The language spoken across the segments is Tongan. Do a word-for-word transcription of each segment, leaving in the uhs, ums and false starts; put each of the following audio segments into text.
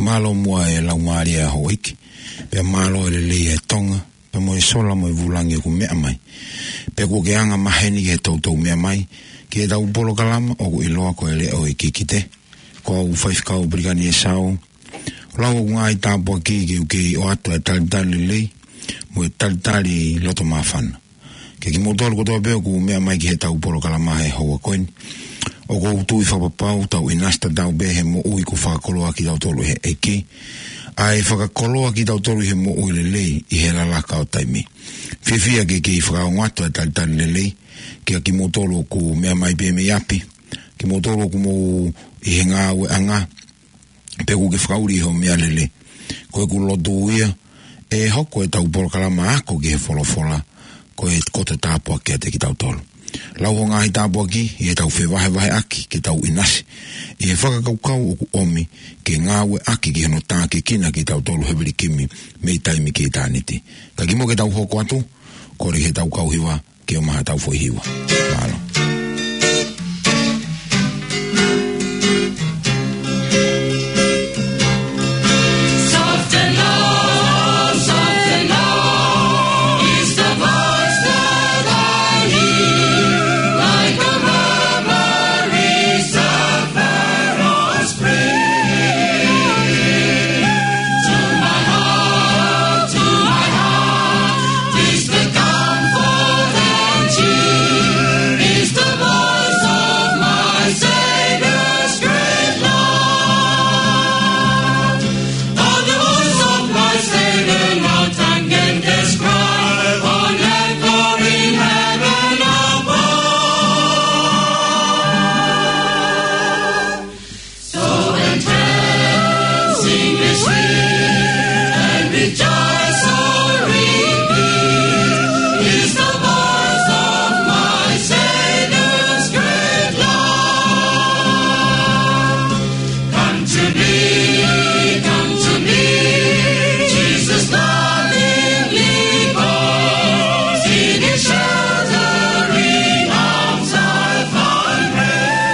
Mālō muʻa e laumālie ʻa houʻeiki, pea mālō e lelei ʻa Tonga, pea mo e sola mo e vūlangi ʻoku meʻa mai. Pea kuo ke anga maheni ki he toutou meʻa mai ki heʻetau polokalama ʻoku ʻiloa ko e Leʻo ʻo e Kikite. Ko au Faifekau Pelikani ʻEsau, ʻoku ou lau ʻeku ngaahi tāpuaki ke u kei ʻoatu e talitali lelei mo e talitali loto māfana kiate kimoutolu kotoa pē ʻoku meʻa mai ki heʻetau polokalama he houa ko eni. ʻOku ou tui fakapapau tau ʻinasi tatau pē he moʻui kuo fakakoloa kitautolu ʻe he ʻEiki, ʻa e fakakoloa kitautolu he moʻui lelei ʻi he lalaka ʻo taimi. Fiefia ke kei fakaongo atu e talitali lelei kiate kimoutolu ʻoku meʻa mai pē mei ʻapi, kimoutolu ʻoku mou ʻi he ngāueʻanga, pea ʻoku ke fakaʻuli ʻi hoʻo meʻalele. Ko ʻeku lotu ia, ʻe hoko ʻetau polokalama Ako ki he Folofola ko e koto tāpuaki kiate kitautolu. Lau hoʻo ngaahi tāpuaki ʻi heʻetau fevahevaheʻaki ke tau ʻinasi ʻi he fakakaukau ʻoku ʻomi ke ngāueʻaki ki hono tākiekina kitautolu he vilikimi mei taimi ki ʻitāniti. Ka kimuʻa ke tau hoko atu, kole ke tau kau hiva ke ʻomai haʻatau foʻi hiva. Mālō. Soft and low, soft and low is the voice that I hear, like a murmuring zephyr. To my heart, to my heart, is the comfort and cheer, is the voice of my Savior's great love. Oh, the voice of my Savior, no tongue can describe, on earth or in heaven above. So entrancing is he, and rejoice or repeat, is the voice of my Savior's great love. Come to me, come to me, Jesus lovingly calls, in his sheltering arms I find rest.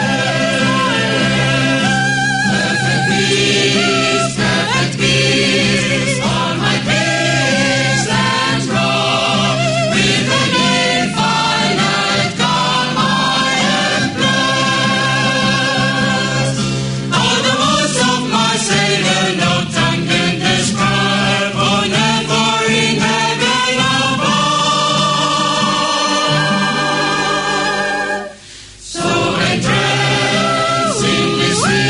Perfect peace, perfect peace, all my cares and wrong, with an infinite calm I am blessed. Oh, the voice of my Savior, no tongue can describe, on earth or in heaven above. So entrancing is he,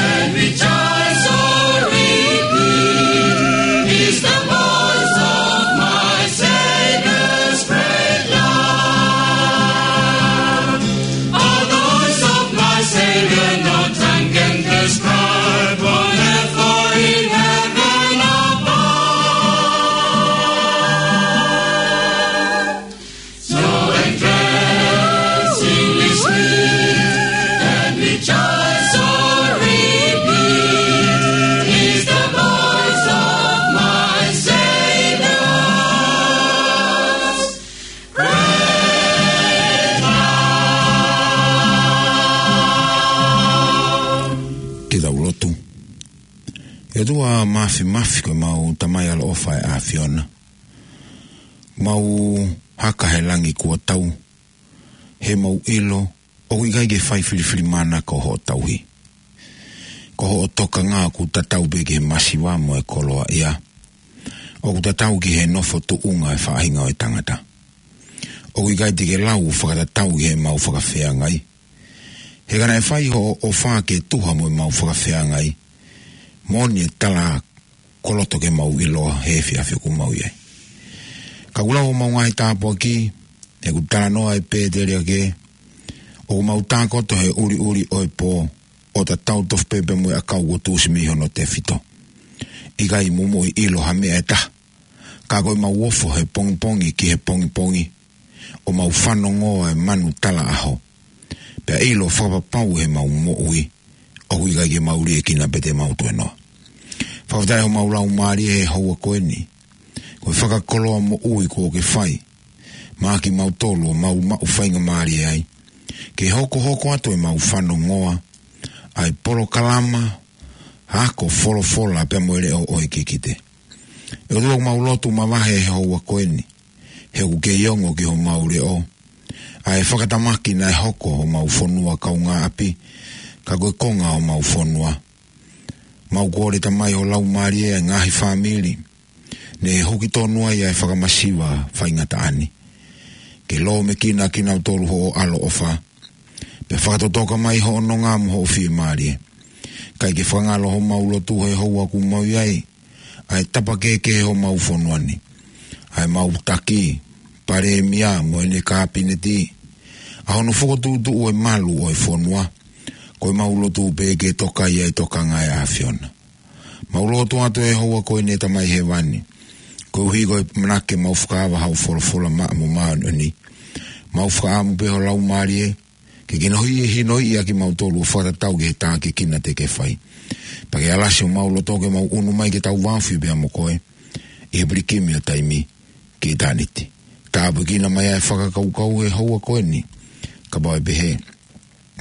and rejoice or repeat, is the voice of my Savior's great love. Oh, the voice of my Savior, no tongue can describe, on earth or in heaven above. So entrancing is he, and rejoice or repeat, is the voice of my Savior's great love. Ke tau lotu. ʻE ʻOtua Māfimafi, ko ʻemau Tamai ʻaloʻofa ʻa e ʻAfiona, mau haka he langi kuo tau, he mau ʻilo ʻoku ʻikai ke fai filifilimānako hoʻo tauhi. Ko hoʻo tokanga ʻoku tatau pē ki he masiva mo e koloaʻia, ʻoku tatau ki he nofo tuʻunga e faʻahinga ʻo e tangata. ʻOku ʻikai te ke lau fakatatau ki heʻemau fakafeangai. He ka naʻe fai hoʻo ʻofa ke tuha mo ʻemau fakafeangai, moʻoni e tala koloto ke mau ʻiloa he efiafi ʻoku mau ʻi ai. Ka ʻoku lau homau ngaahi tāpuaki, he ʻoku talanoa ʻa Pēteli ake, ʻoku mau tākoto he ʻuliʻuli ʻo e pō, ʻo tatau tofu pē pea mo e ʻakau kuo tuʻusi mei hono tefito. ʻIkai mo moʻui ʻilo ha meʻa ʻe taha, ka ko ʻemau ofo he pongipongi ki he pongipongi, ʻo mau fanongoa e manu tala ʻaho, pea ʻilo fakapapau he mau moʻui, ʻoku ʻikai ke mau liʻekina pē te mau tuenoa. Fakafetaʻi homau laumālie he houa ko eni. Ko e fakakoloa moʻui kuo ke fai maʻa kimautolu ʻo mau maʻu faingamālie ai ke hokohoko atu ʻemau fanongoa ʻa e polokalama ako folofola pea mo e leʻo ʻo e kikite. ʻE ʻOtua, ʻoku mau lotu mavahe he houa ko eni, he ʻoku kei ongo ki homau leʻo ʻa e fakatamaki naʻe hoko homau fonua kaungāʻapi, ka ko e konga homau fonua. Mau kole, Tamai, ho Laumālie ʻa e ngaahi fāmili ne huki tonu ai ʻa e fakamasiva faingataʻa ni, ke lōmekina kinautolu hoʻo ʻaloʻofa, pea fakatotoka mai hoʻo nonga mo hoʻo fiemālie. Kae ke fakangalo homau lotu he houa ʻoku mau ʻi ai, ʻa e tapa kehekehe homau fonua ni, ʻa ʻemau taki palēmia mo ʻene kāpineti, ʻa hono fokotuʻutuʻu ʻo e malu ʻo e fonua. Ko ʻemau lotu pē ke toka ia ʻi he tokanga ʻa e ʻAfiona. Mau lotu atu he houa ko eni, Tamai Hēvani, koeʻuhi ko e ʻamanaki ke mau fakaava hao folofola maʻa mo māʻoniʻoni. Mau fakaʻamu pē ho Laumālie ke kinohiʻi, hinoʻi ʻa kimautolu ʻo fakatatau ki he tākiekina te ke fai. Pea ke alasi homau loto ke mau ʻunu mai ke tau vāofi pea mo koe ʻi he pilikimi ʻo taimi ki ʻitāniti. Tāpuekina mai ʻa e fakakaukau he houa ko eni, kapau ʻe pehē,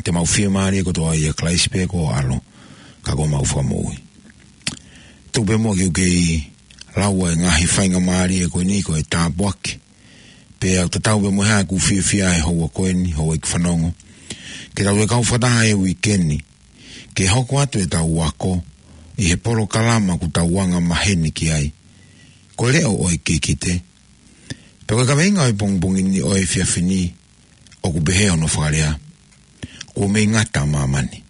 te mau fiemālie kotoa ʻia Kalaisi pē ko ho ʻAlo, ka ko homau Fakamoʻui. Tuku pē muʻa ke u kei lau ʻa e ngaahi faingamālie ko eni ko e tāpuaki. Pea ʻoku tatau pē mo e hā ʻeku fiefia he houa ko eni, houʻeiki fanongo, ke tau toe kau fakataha he uike ni ke hoko atu ʻetau ako ʻi he polokalama ʻoku tau anga maheni ki ai, ko e leʻo ʻo e kikite. Pea ko e kaveinga ʻo e pongipongi ni, ʻo e efiafi ni, ʻoku pehē hono fakalea: Kuo mei ngata ʻa māmani.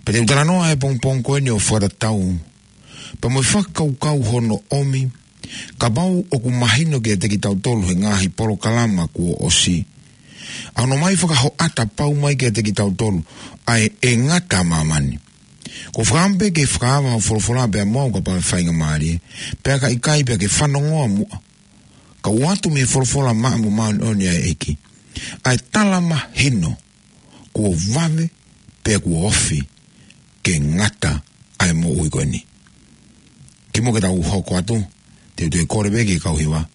Pea te u talanoa he pongipongi ko eni ʻo fakatatau pea mo e fakakaukau hono ʻomi, kapau ʻoku mahino kiate kitautolu he ngaahi polokalama kuo ʻosi, ʻa hono ʻomai fakahoʻata pau mai kiate kitautolu ʻa e, ʻe ngata ʻa māmani. Ko e fakaʻamu pē ke fakaava hao folofola pea mo au, kapau ʻe faingamālie, pea ka ʻikai pea ke fanongoa muʻa, ka ʻoatu mei he folofola maʻa mo māʻoniʻoni ʻa e ʻEiki ʻa e tala mahino kuo vave pea kuo ofi ke ngata ʻa e moʻui ko eni. Kimuʻa ke tau hoko atu, te u toe kole pē ki he kau hiva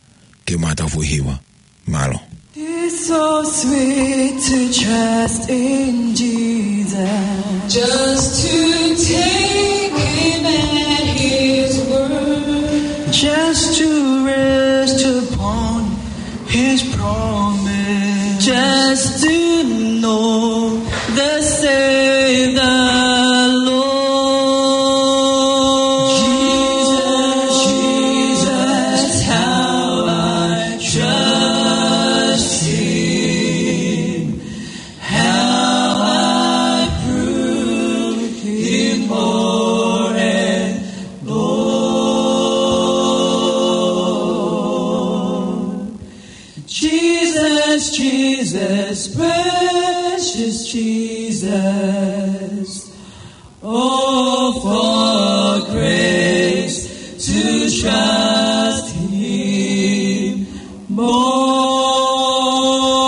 ke mātau foʻi hiva. Mālō. It's so sweet to trust in Jesus. Just to take him at his word. Just to rest upon his promise. Just to know thus saith the Lord. Jesus, Jesus, how I trust him. How I prove him more and more. Jesus, Jesus, precious Jesus. Oh, for grace to trust him more.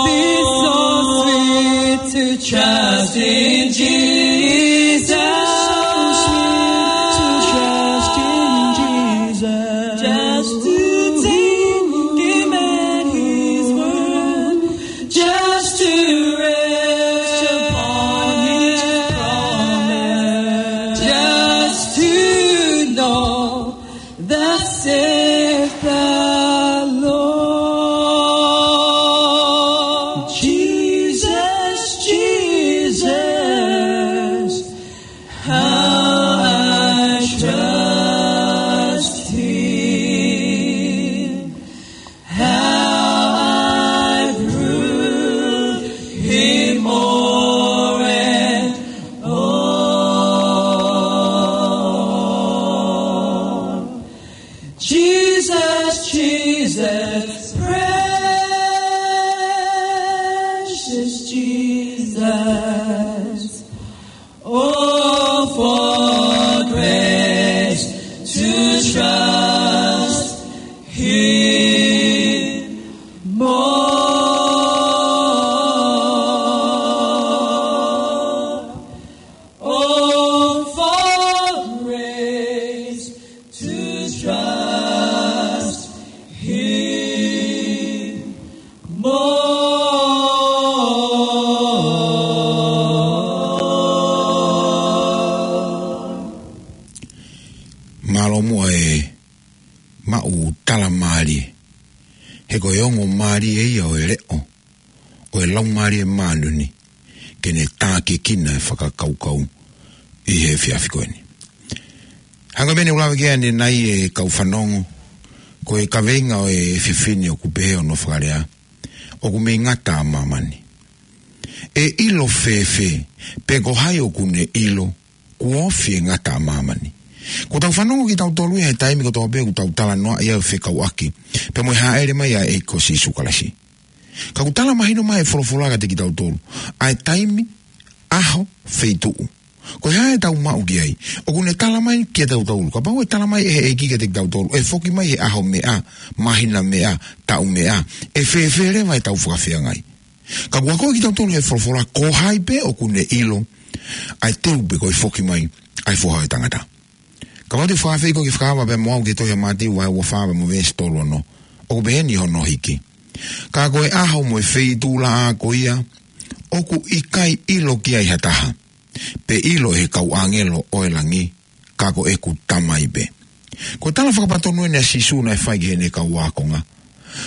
Be so sweet to trust in Jesus. So sweet to trust in Jesus. Just to take him at his word. Just to rest upon his promise. Just to know thus saith the Lord. Jesus, Jesus, how I trust him. How I prove him more and more. Jesus, Jesus, precious Jesus. Oh, for grace to trust him more. Oh, for grace Trust him more. Mālō muʻa e maʻu tala mālie. He ko e ongo mālie ia ʻo e leʻo ʻo e Laumālie Māʻoniʻoni, ke ne tākiekina e fakakaukau ʻi he efiafi ko eni. Hangē ko e meʻa ne u lave ki ai ʻanenai, e kau fanongo, ko e kaveinga ʻo e efiafi ni ʻoku pehē hono fakalea, ʻoku mei ngata ʻa māmani. ʻE ʻilo fēfē pe ko hai ʻoku ne ʻilo kuo ofi e ngata ʻa māmani? Kuo tau fanongo kitautolu ia he taimi kotoa pē ʻoku tau talanoaʻi ai ʻo fekauʻaki pea mo e hāʻele mai ʻa e ʻEiki ko Sīsū Kalaisi. Ka ʻoku tala mahino mai e folofola kiate kitautolu ʻa e taimi, ʻaho, feituʻu. Ko e hā ʻetau maʻu ki ai? ʻOku ne tala mai kiate kitautolu. Kapau ʻe tala mai ʻe he ʻEiki kiate kitautolu ʻe foki mai he ʻaho meʻa, māhina meʻa, taʻu meʻa, ʻe fēfē leva ʻetau fakafeangai? Ka ʻoku akoʻi kitautolu ʻe he folofola ko hai pē ʻoku ne ʻilo ʻa e teu pe ko e foki mai ʻa e Foha ʻo e Tangata. Kapau te u fakaafeʻi koe ke fakaava pē mo au ki he tohi ʻa Mātiu vahe ua fā pea mo e veesi tolu ono, ʻoku pehē ni hono hiki: Ka ko e ʻaho mo e feituʻulaʻā ko ia, ʻoku ʻikai ʻilo ki ai ha taha, pe ʻilo ʻe he kau ʻāngelo ʻo e langi, ka ko ʻeku Tamai pē. Ko e tala fakapatonu eni ʻa Sīsū naʻe fai ki heʻene kau ākonga.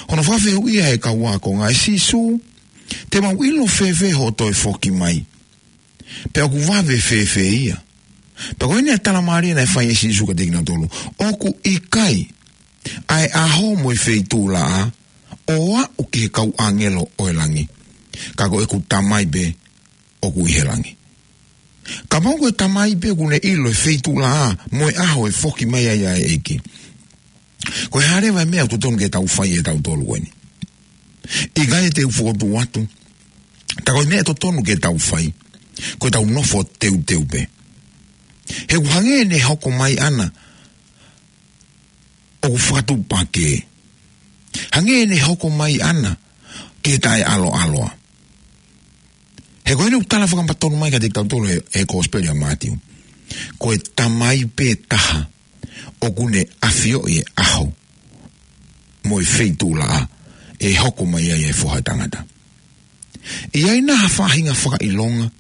Hono fakafehuʻia ʻe he kau ākonga, ʻe Sīsū, te mau ʻilo fēfē hoʻo toe foki mai? Pea ʻoku vave fēfē ia? Pea ko eni e tala mālie naʻe fai ʻe Sīsū kiate kinautolu: ʻOku ʻikai ʻa e ʻaho mo e feituʻulaʻā ʻo aʻu ki he kau ʻāngelo ʻo e langi, ka ko ʻeku Tamai pē ʻoku ʻi he langi. Kapau ko e Tamai pē ʻoku ne ʻilo e feituʻulaʻā mo e ʻaho ʻe foki mai ai ʻa e ʻEiki, ko e hā leva e meʻa ʻoku totonu ke tau fai ʻe tautolu ko eni? ʻIkai te u fokotuʻu atu, tā ko e meʻa totonu ke tau fai, ko ʻetau nofo teuteu pē. He ʻoku hangē ʻene hoko mai ʻana ʻoku fakatuʻupakē. Hangē ʻene hoko mai ʻana ke taʻeʻaloʻaloa. He ko eni ʻoku tala fakapatonu mai kiate kitautolu ʻe he, he Kosipeli ʻa Mātiu, ko e Tamai pē taha ʻoku ne ʻafioʻi e ʻaho mo e feituʻulaʻā ʻe hoko mai ai e Foha ʻo e Tangata. ʻI ai nai ha faʻahinga fakaʻilonga,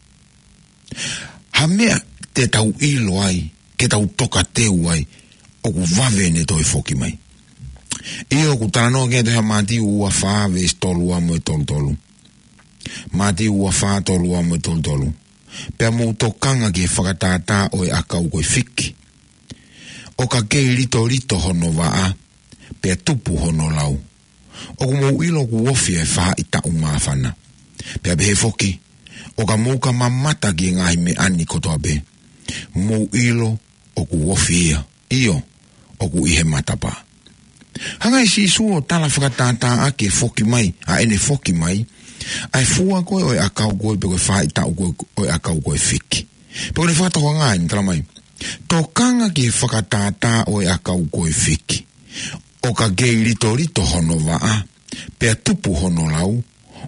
ha meʻa te tau ʻilo ai, ke tau tokateu ai, ʻoku vave ʻene toe foki mai? ʻIo, ʻoku talanoa ki ai e tohi ʻa Mātiu ua fā veesi tolu ua mo e tolu tolu. Mātiu ua fā tolu ua mo e tolu tolu. Pea mou tokanga ki he fakatātā ʻo e ʻakau ko e fiki, ʻo ka kei litolito hono vaʻa, pea tupu hono lau, ʻoku mou ʻilo ʻoku ofi e faʻahitaʻu māfana. Pea pehē foki, ʻo ka mou ka mamata ki he ngaahi meʻa ni kotoa pē, mou ʻilo ʻoku ofi ia, ʻio, ʻoku ʻi he matapā. Hanga ʻe Sīsū ʻo tala fakatātā ʻaki e foki mai, ʻa ʻene foki mai, ʻa e fua ko ē ʻo e ʻakau ko ē pe ko e faʻahitaʻu ko ē ʻo e ʻakau ko e fiki. Pea ko ʻene fakatokanga ʻeni, tala mai: Tokanga ki he fakatātā ʻo e ʻakau ko e fiki, ʻo ka kei litolito hono vaʻa, pea tupu hono lau,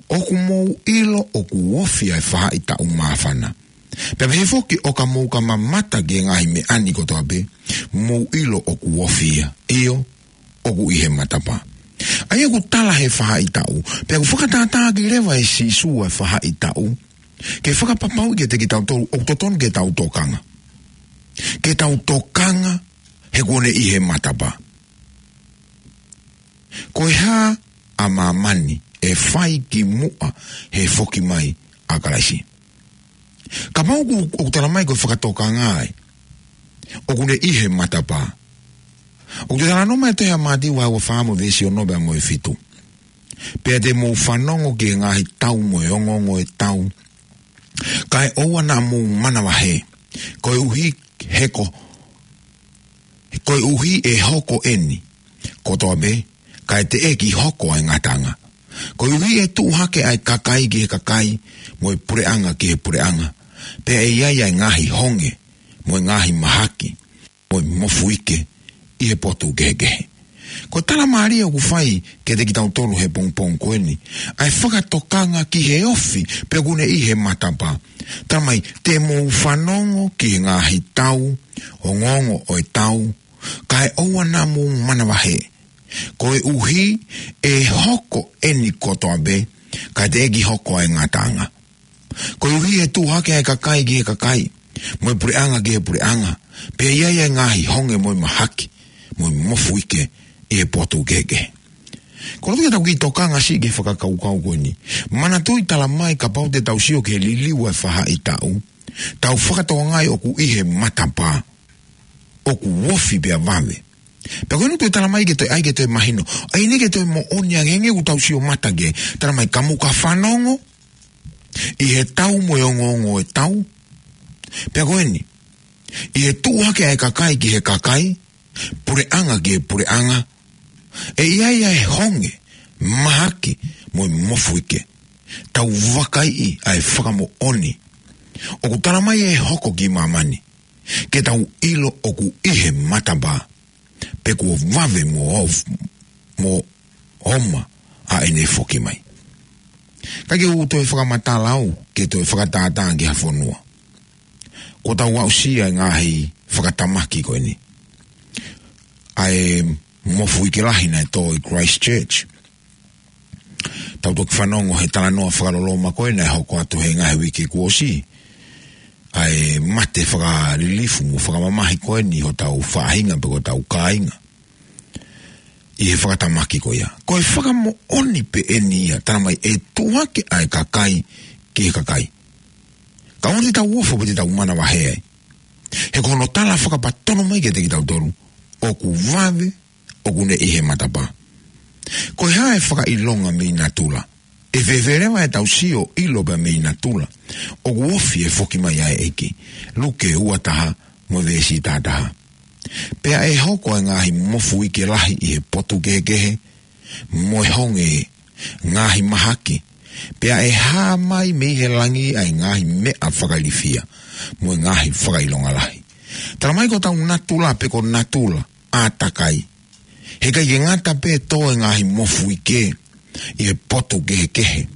ʻoku mou ʻilo ʻoku ofi ʻa e faʻahitaʻu māfana. Pea pehē foki, ʻo ka mou ka mamata ki he ngaahi meʻa ni kotoa pē, mou ʻilo ʻoku ofi ia, ʻio, ʻoku ʻi he matapā. ʻA ia ʻoku tala he faʻahitaʻu, pea ʻoku fakatātā ʻaki leva ʻe Sīsū ʻa e faʻahitaʻu ke fakapapauʻi kiate kitautolu ʻoku totonu ke tau tokanga. Ke tau tokanga he kuo ne ʻi he matapā. Ko e hā ʻa māmani ʻe fai ki muʻa he foki mai ʻa Kalaisi? Kapau ʻoku, ʻoku tala mai ko e fakatokanga ē, ʻoku ne ʻi he matapā. ʻOku talanoa mai e tohi ʻa Mātiu vahe ua fā mo e veesi ono pea mo e fitu: Pea te mou fanongo ki he ngaahi tau mo e ongoongo ʻo e tau, kae ʻoua naʻa mou manavahē, koeʻuhi he ko, koeʻuhi ʻe hoko ʻeni kotoa pē, kae teʻeki hoko ʻa e ngataʻanga. Koeʻuhi ʻe tuʻu hake ʻa e kakai ki he kakai, mo e puleʻanga ki he puleʻanga, pea ʻe ʻi ai ʻa e ngaahi honge, mo e ngaahi mahaki, mo e mofuike ʻi he potu kehekehe. Ko e tala mālie ʻoku fai kiate kitautolu he pongipongi ko eni, ʻa e fakatokanga ki he ofi pe ʻoku ne ʻi he matapā. Tala mai, te mou fanongo ki he ngaahi tau, ongoongo ʻo e tau, kae ʻoua naʻa mou manavahē. Koeʻuhi ʻe hoko eni kotoa pē, kae teʻeki hoko ʻa e ngataʻanga. Koeʻuhi ʻe tuʻu hake ʻa e kakai ki he kakai, mo e puleʻanga ki he puleʻanga, pea ʻe ʻi ai ʻa e ngaahi honge mo e mahaki, mo e mofuike ʻi he potu kehekehe. Ko e loto ke tau kiʻi tokanga siʻi ki he fakakaukau ko eni. Manatuʻi tala mai kapau te tau sio ki he liliu ʻa e faʻahitaʻu, tau fakatokangaʻi ʻoku ʻi he matapā, ʻoku ofi pea vave. Pea ko eni toe tala mai ke toe ʻai ke toe mahino. ʻAi ni ke toe moʻoni ange ange ʻoku tau sio mata ke. Tala mai ka mou ka fanongo ʻi he tau mo e ongoongo ʻo e tau. Pea ko eni. ʻI he tuʻu hake ʻa e kakai ki he kakai, puleʻanga ki he puleʻanga, ʻe ʻi ai ʻa e honge, mahaki, mo e mofuike. Tau vakaiʻi ʻa e fakamoʻoni ʻoku tala mai ʻe hoko ki māmani, ke tau ʻilo ʻoku ʻi he matapā, pe kuo vave mo of-, mo oma ʻa ʻene foki mai. Ka ke u toe fakamatala au, ke toe fakatātā ki ha fonua. Ko tau aʻusia e ngaahi fakatamaki ko eni. ʻA e mofuike lahi naʻe tō ʻi Christchurch. Tau toki fanongo he talanoa fakaloloma ko ē naʻe hoko atu he ngaahi uike kuo ʻosi. ʻA e mate fakalilifu mo fakamamahi ko eni hotau faʻahinga pe ko hotau kāinga. ʻI he fakatamaki ko ia. Ko e fakamoʻoni pē eni ia, tala mai ʻe tuʻu hake ʻa e kakai ki he kakai. Ka ʻoua te tau ofo pe te tau manavahē ai. He ko hono tala fakapatonu mai kiate kitautolu, ʻoku vave, ʻoku ne ʻi he matapā. Ko e hā e fakaʻilonga mei natula? ʻE fēfē leva ʻetau sio ʻilo pea mei natula ʻoku ofi e foki mai ʻa e ʻEiki? Luke ua taha mo e veesi taha taha. Pea ʻe hoko ʻa e ngaahi mofuike lahi ʻi he potu kehekehe, mo e honge, ngaahi mahaki. Pea ʻe hā mai mei he langi ʻa e ngaahi meʻa fakailifia, mo e ngaahi fakaʻilonga lahi. Tala mai ko hotau natula pe ko natula ʻātakai. He ʻikai ke ngata pē tō e ngaahi mofuike ʻi he potu kehekehe,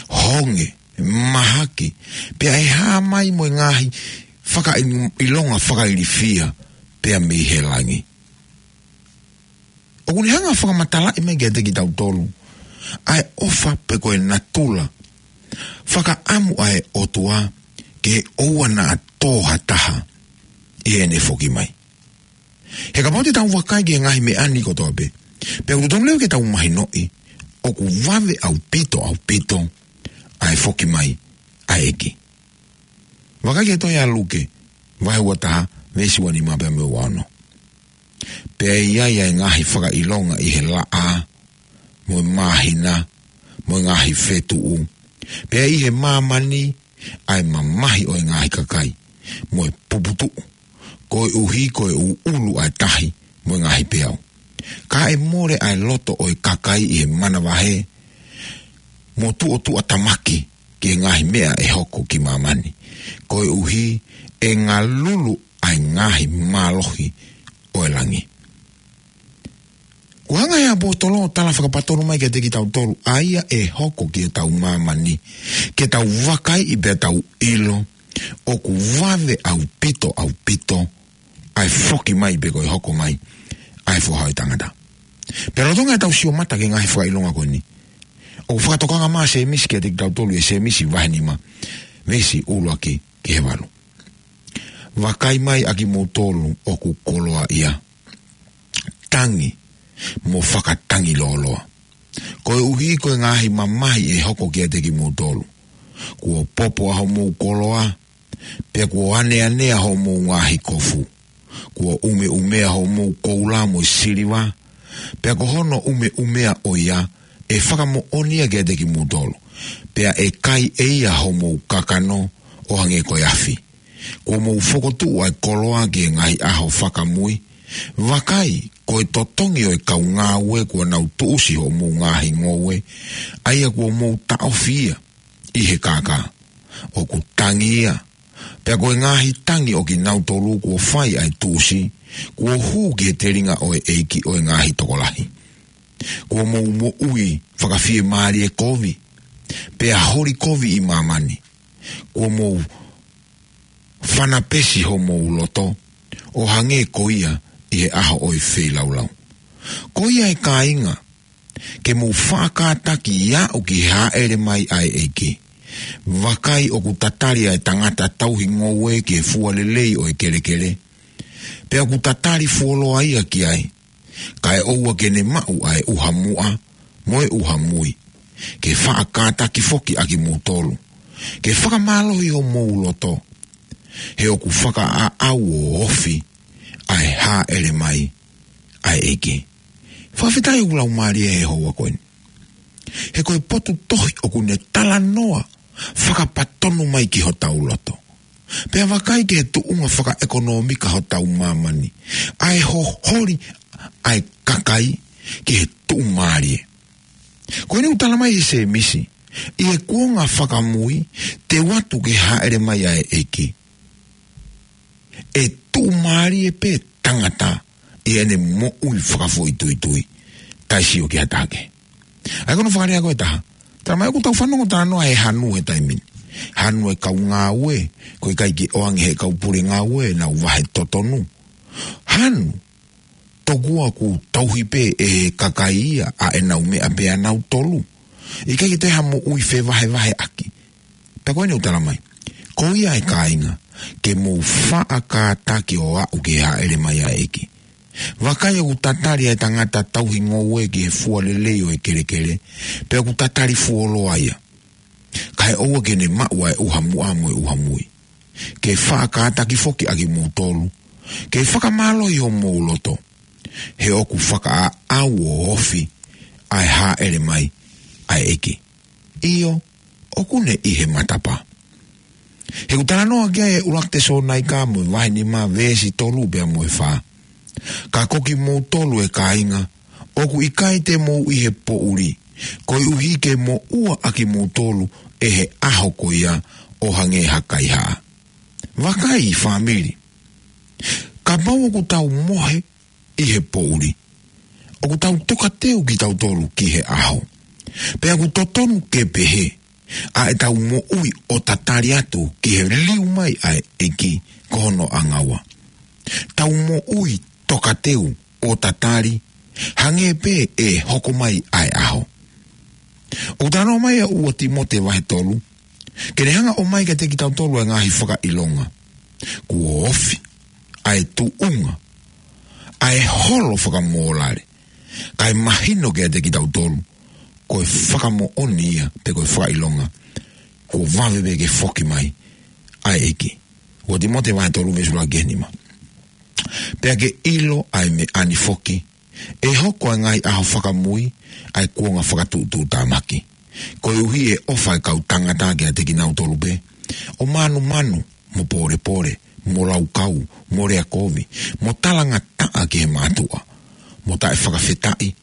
honge, mahaki, pea ʻe hā mai mo e ngaahi fakaʻilonga fakailifia pea mei he langi. ʻOku ne hanga fakamatalaʻi mai kiate kitautolu ʻa e ʻofa pe ko e natula fakaʻamu ʻa e ʻOtua ke ʻoua naʻa tō ha taha ʻi heʻene foki mai. He kapau te tau vakai ki he ngaahi meʻa ni kotoa pē, pea ʻoku totonu leva ke tau mahinoʻi ʻoku vave ʻaupito, ʻaupito ʻa e foki mai ʻa e ʻEiki. Vakai ki he tohi ʻa Luke, vahe ua taha, veesi ua nima pea mo e ua ono. Pea ʻe ʻi ai ʻa e ngaahi fakaʻilonga ʻi he laʻā, mo e māhina, mo e ngaahi fetuʻu. Pea ʻi he māmani, ʻa e mamahi ʻo e ngaahi kakai, mo e puputuʻu, koeʻuhi ko e ʻuʻulu ʻa e tahi, mo e ngaahi peau. Ka ʻe mole ʻa e loto ʻo e kakai ʻi he manavahē, mo tuʻotuʻatamaki ki he ngaahi meʻa ʻe hoko ki māmani. Koeʻuhi ʻe ngalulu ʻa e ngaahi mālohi ʻo e langi. Kuo hanga ʻe he ʻaposetolo ʻo tala fakapatonu mai kiate kitautolu ʻa ia ʻe hoko ki heʻetau māmani, ke tau vakaiʻi pea tau ʻilo ʻoku vave ʻaupito, ʻaupito ʻa e foki mai pe ko e hoko mai ʻa e Foha ʻo e Tangata. Pea lolotonga ʻetau sio mata ki he ngaahi fakaʻilonga ko eni, ʻoku fakatokanga mai ʻa Sēmisi kiate kitautolu ʻi he Sēmisi vahe nima, veesi ʻuluaki ki he valu. Vakai mai ʻa kimoutolu ʻoku koloaʻia, tangi mo fakatangilōloa, koeʻuhi ko e ngaahi mamahi ʻe hoko kiate kimoutolu. Kuo popo ʻa homou koloa, pea kuo ʻaneanea homou ngaahi kofu. Kuo ʻumeʻumea homou koula mo e siliva, pea ko hono ʻumeʻumea ʻo ia ʻe fakamoʻoni ia kiate kimoutolu, pea ʻe kai ʻe ia homou kakano ʻo hangē ko e afi. Kuo mou fokotuʻu ʻa e koloa ki he ngaahi ʻaho fakamui. Vakai, ko e totongi ʻo e kau ngāue kuo nau tuʻusi hoʻomou ngaahi ngoue, ʻa ia kuo mou taʻofi ia ʻi he kākā. ʻOku tangi ia, pea ko e ngaahi tangi ʻo kinautolu kuo fai ʻa e tuʻusi, kuo hū ki he telinga ʻo e ʻEiki ʻo e ngaahi tokolahi. Kuo mou moʻui fakafiemālie kovi, pea holi kovi ʻi māmani. Kuo mou fanapesi homou loto, ʻo hangē ko ia ʻi he ʻaho ʻo e feilaulau. Ko ia ʻe kāinga, ke mou faʻa kātaki ʻo aʻu ki he hāʻele mai ʻa e ʻEiki. Vakai ʻoku tatali ʻa e tangata tauhi ngoue ki he fua lelei ʻo e kelekele. Pea ʻoku tatali fuoloa ia ki ai. Kae ʻoua ke ne maʻu ʻa e ʻuha muʻa, mo e ʻuha mui. Ke faʻa kātaki foki ʻa kimoutolu. Ke fakamālohi homou loto. He ʻoku fakaʻaʻau ʻo ofi ʻa e hāʻele mai ʻa e ʻEiki. Fakafetaʻi ʻoku laumālie he houa ko eni. He ko e potu tohi ʻoku ne talanoa fakapatonu mai ki hotau loto. Pea vakai ki he tuʻunga fakaʻekonōmika hotau māmani. ʻA e hoholi ʻa e kakai ki he tuʻumālie. Ko eni ʻoku tala mai ʻe Sēmisi, ʻi he kuonga fakamui, te u ʻatu ke hāʻele mai ʻa e ʻEiki. ʻE tuʻumālie pē tangata ʻi heʻene moʻui fakafoʻituitui. Taʻe sio ki ha taha kehe. ʻA ia ko hono fakalea ko ē ʻe taha. Tala mai ʻoku tau fanongo talanoa he hanu he taimi ni. Hanu e kau ngāue, ko e ʻikai ke ʻoange he kau pule ngāue, nau vahe totonu. Hanu, tokua ʻoku tauhi pē ʻe he kakai ia ʻa ʻenau meʻa pē ʻanautolu. ʻIkai ke toe ha moʻui fevahevaheʻaki. Pea ko eni ʻoku tala mai. Ko ia ʻe kāinga, ke mou faʻa kātaki ʻo aʻu ki he hāʻele mai ʻa e ʻEiki. Vakai ʻoku tatali ʻa e tangata tauhi ngoue ki he fua lelei ʻo e kelekele, pea ʻoku tatali fuoloa ia. Kae ʻoua ke ne maʻu ʻa e ʻuha muʻa mo e ʻuha mui. Ke faʻa kātaki foki ʻa kimoutolu. Ke fakamālohi homou loto. He ʻoku fakaʻaʻau ʻo ofi ʻa e hāʻele mai ʻa e ʻEiki. ʻIo, ʻoku ne ʻi he matapā. He ʻoku talanoa ki ai e ʻUluaki Tesalonaika mo e vahe nima veesi tolu pea mo e fā. Ka ko kimoutolu ʻe kāinga, ʻoku ʻikai te mou ʻi he poʻuli, koeʻuhi ke moʻua ʻa kimoutolu ʻe he ʻaho ko ia ʻo hangē ha kaihaʻa. Vakai fāmili. Kapau ʻoku tau mohe ʻi he poʻuli, ʻoku tau tokateu kitautolu ki he ʻaho. Pea ʻoku totonu ke pehē, ʻa ʻetau moʻui ʻo tatali atu ki he liliu mai ʻa e ʻEiki ko hono ʻangaua. Tau moʻui tokateu ʻo tatali, hangē pē ʻe hoko mai ʻa e ʻaho. ʻOku talanoa mai ʻa ua Tīmote vahe tolu, ke ne hanga ʻo ʻomai kiate kitautolu ʻa e ngaahi fakaʻilonga. Kuo ofi ʻa e tuʻunga, ʻa e holo fakamōlale, kae mahino kiate kitautolu, ko e fakamoʻoni ia, pe ko e fakaʻilonga, kuo vave pē ke foki mai ʻa e ʻEiki. Ua Tīmote vahe tolu veesi ʻuluaki ki he nima. Pea ke ʻilo ʻa e meʻa ni foki, ʻe hoko ʻa e ngaahi ʻaho fakamui ʻa e kuonga fakatuʻutuʻutāmaki. Koeʻuhi ʻe ʻofa ʻa e kau tangata kiate kinautolu pē, ʻo mānumanu, mo pōlepole, mo laukau, mo lea kovi, mo talangataʻa ki he mātuʻa, mo taʻefakafetaʻi,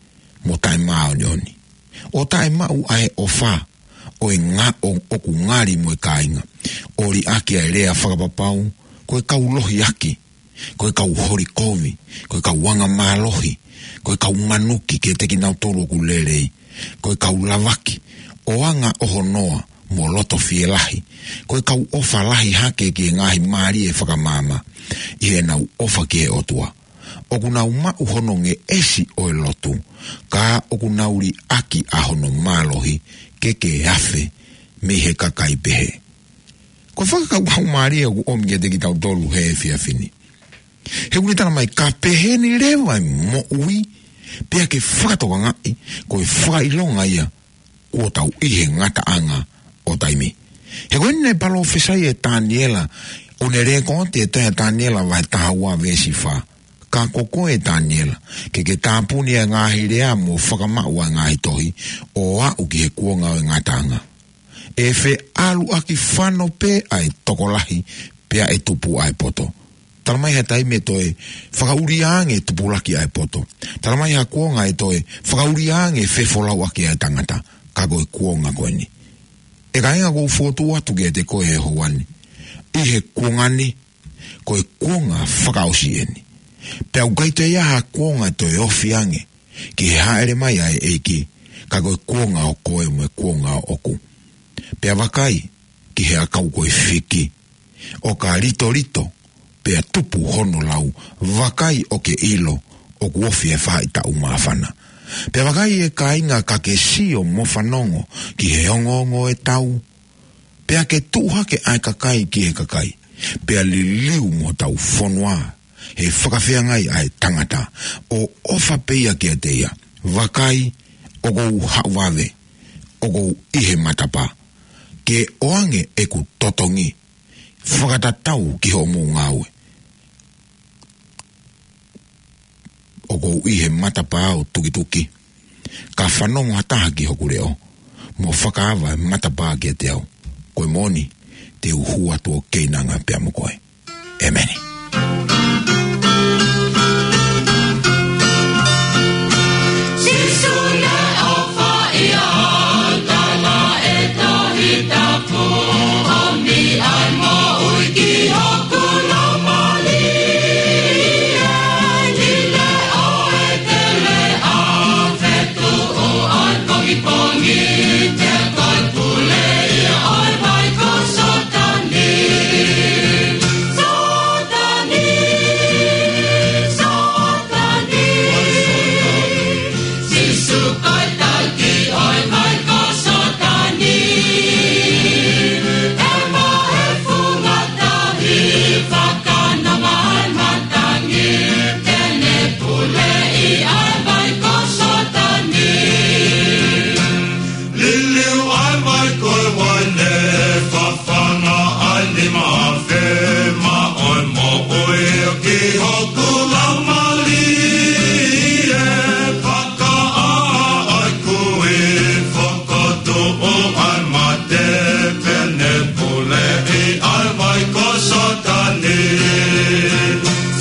mo taʻemāʻoniʻoni. ʻO taʻemaʻu ʻa e ʻofa ʻo e nga-, ʻo, ʻoku ngali mo e kāinga. ʻO liʻaki ʻa e lea fakapapau, ko e kau lohiaki, ko e kau holi kovi, ko e kau anga mālohi, ko e kau manuki kiate kinautolu ʻoku lelei, ko e kau lavaki ʻo anga ʻohonoa mo loto fielahi, ko e kau ʻofa lahi hake ki he ngaahi mālie fakamaama, ʻi heʻenau ʻofa ki he ʻOtua. ʻOku nau maʻu hono ngeʻesi ʻo e lotu, ka ʻoku nau liʻaki ʻa hono mālohi ke ke afe mei he kakai pehē. Ko e fakakaukau mālie ʻoku ʻomi kiate kitautolu he efiafi ni. He ʻoku ne tala mai ka pehē ni leva e moʻui, pea ke fakatokangaʻi, ko e fakaʻilonga ia, kuo tau ʻi he ngataʻanga ʻo taimi. He ko eni naʻe palōfisai ʻe Taniela, ʻo ne lēkooti ʻe Taniela vahe taha ua veesi fā. Ka ko koe Taniela, ke ke tāpuni ʻa e ngaahi lea mo fakamaʻu ʻa e ngaahi tohi, ʻo aʻu ki he kuonga ʻo e ngataʻanga. ʻE feʻaluʻaki fano pē ʻa e tokolahi, pea ʻe tupu ʻa e poto. Tala mai ha taimi ʻe toe fakaʻulia ange tupulaki ʻa e poto. Tala mai ha kuonga ʻe toe fakaʻulia ange fefolauʻaki ʻa e tangata, ka ko e kuonga ko eni. ʻE kāinga, ʻoku ou fokotuʻu atu kiate koe he houa ni. ʻI he kuonga ni, ko e kuonga fakaʻosi eni. Pea ʻoku ʻikai toe ʻi ai ha kuonga ʻe toe ofi ange ki he hāʻele mai ʻa e ʻEiki, ka ko e kuonga ʻo koe mo e kuonga ʻoʻoku. Pea vakai ki he ʻakau ko e fiki, ʻo ka litolito, pea tupu hono lau, vakai ʻo ke ʻilo ʻoku ofi e faʻahitaʻu māfana. Pea vakai ʻe kāinga, ka ke sio mo fanongo ki he ongoongo ʻo e tau, pea ke tuʻu hake ʻa e kakai ki he kakai, pea liliu mo hotau fonua he fakafeangai ʻa e tangata, ʻo ʻofa pē ia kiate ia. Vakai, ʻoku ou haʻu vave, ʻoku ou ʻi he matapā. Ke ʻoange ʻeku totongi, fakatatau ki hoʻomou ngāue. ʻOku ou ʻi he matapā ʻo tukituki. Ka fanongo ha taha ki hoku leʻo, mo fakaava e matapā kiate au, ko e moʻoni, te u hū atu ʻo keinanga pea mo koe. ʻEmeni. Sīsū naʻe ʻofa ʻia au, tala ʻe he Tohi Tapu, ʻomi ʻa e moʻui ki hoku laumālie. Ni le o e tele a fetuʻu ʻa e pongipongi, te ko e pule ia ʻo e vai ko Sōtani. Sōtani, Sōtani. Sīsū ko e taki ʻo e vai ko Sōtani. ʻE maʻu e funga tahi, fakanonga ʻa e matangi, te ne puleʻi ʻa e vai ko Sōtani. Liliu ʻa e vai ko e uaine, fafanga ʻa e nima afe, maʻu e moʻui ki hoku laumālie. Fakaʻā ʻa e kui, fakatuʻu ʻa e mate, te ne puleʻi ʻa e vai ko Sōtani.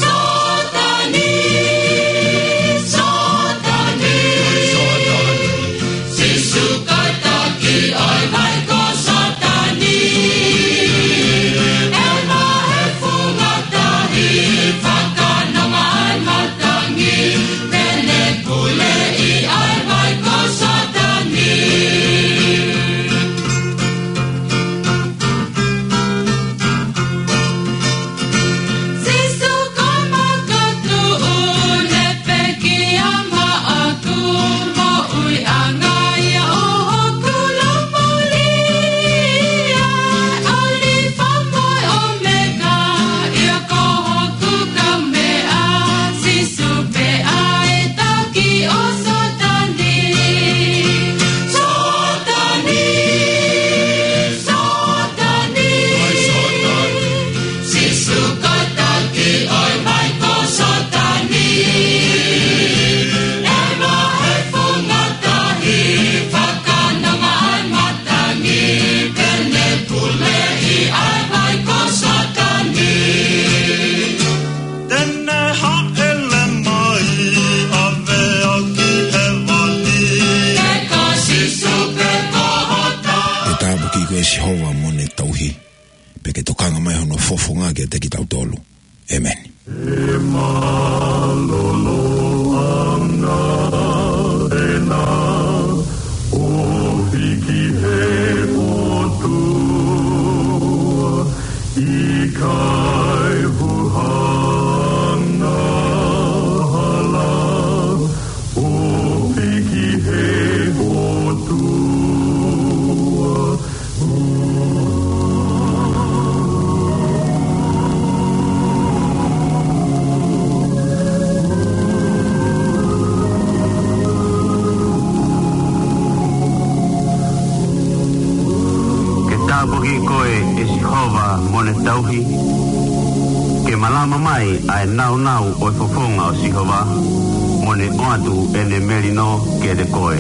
Sōtani, Sōtani. Sīsū ko e taki ʻo e vai ko Sōtani. ʻE maʻu e funga tahi, fakanonga ʻa e matangi, te ne puleʻi ʻa e vai ko Sōtani. Sīsū ko e makatuʻu, ne pekia maʻaku, moʻuiʻanga ia ʻo hoku laumālie. ʻAlifa mo ʻOmeka, ia ko hoku kaumeʻa, Sīsū pē ʻa e taki ʻo Sōtani. Sōtani, Sōtani. Sīsū ko e taki ʻo e vai ko Sōtani. ʻE maʻu e funga tahi, fakanonga ʻa e matangi, te ne puleʻi ʻa e vai ko Sōtani. Te ne hāʻele mai, ʻave au ki hēvani. He ko Sīsū pē ko hota. Ke tāpuakiʻi koe ʻe Sihova mo ne tauhi. Pea ke tokanga mai hono fofonga kiate kitautolu. ʻEmeni. ʻE mālōlō ʻa e ngaahi ʻena, ʻo hiki he ʻOtua, ʻikai huhanga hala, ʻo hiki he ʻOtua. Ke tāpuakiʻi koe ʻe Sihova mo ne tauhi. Ke malama mai ʻa e nāunau ʻo e fofonga ʻo Sihova, mo ne ʻoatu ʻene melino kiate koe.